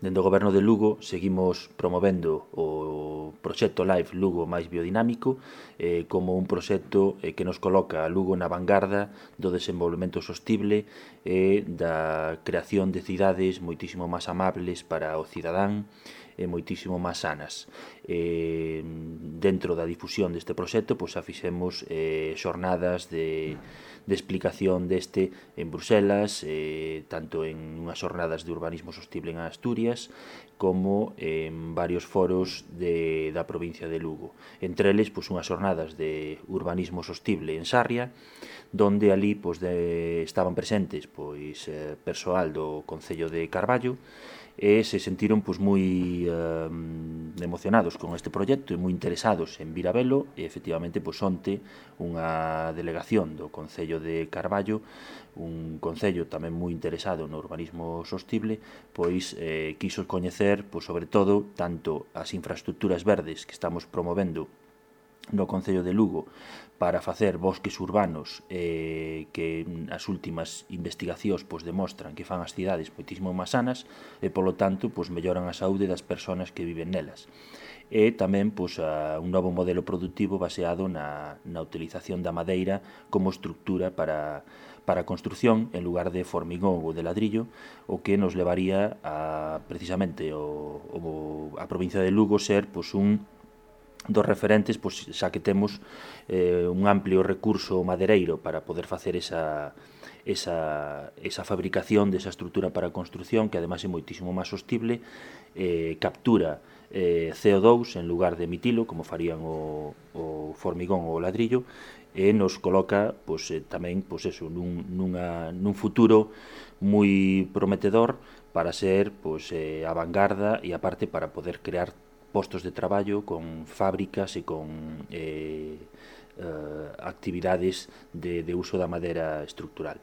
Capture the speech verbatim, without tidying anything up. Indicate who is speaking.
Speaker 1: Dende o Goberno de Lugo seguimos promovendo o proxecto Life Lugo máis biodinámico eh, como un proxecto eh, que nos coloca a Lugo na vanguarda do desenvolvemento sostible e eh, da creación de cidades moitísimo máis amables para o cidadán e moitísimo máis sanas. Eh, dentro da difusión deste proxecto, pois xa fixemos eh, xornadas de, de explicación deste en Bruselas, eh, tanto en unhas xornadas de urbanismo sostible en Asturias, como en varios foros de, da provincia de Lugo. Entre eles, pois, unhas xornadas de urbanismo sostible en Sarria, donde ali pois, de, estaban presentes pois, eh, persoal do Concello de Carballo, e se sentiron pois, moi eh, emocionados con este proxecto e moi interesados en vir a velo, e efectivamente pois, onte unha delegación do Concello de Carballo, un concello tamén moi interesado no urbanismo sostible, pois eh, quiso coñecer pois, sobre todo tanto as infraestructuras verdes que estamos promovendo no Concello de Lugo para facer bosques urbanos eh, que as últimas investigacións pois, demostran que fan as cidades moitísimo máis sanas e, polo tanto, pois, melloran a saúde das persoas que viven nelas. E tamén pois, a, un novo modelo productivo baseado na, na utilización da madeira como estructura para, para a construción en lugar de formigón ou de ladrillo, o que nos levaría a, precisamente, o, o, a provincia de Lugo ser pois, un dos referentes, pois, xa que temos eh, un amplio recurso madereiro para poder facer esa, esa, esa fabricación desa estrutura para a construción, que ademais é moitísimo máis sostible, eh, captura eh, C O dous en lugar de emitilo, como farían o, o formigón ou o ladrillo, e nos coloca pois, eh, tamén pois, eso, nun, nunha, nun futuro moi prometedor para ser pois, eh, a vanguarda e aparte para poder crear postos de traballo con fábricas e con eh, eh, actividades de, de uso da madeira estructural.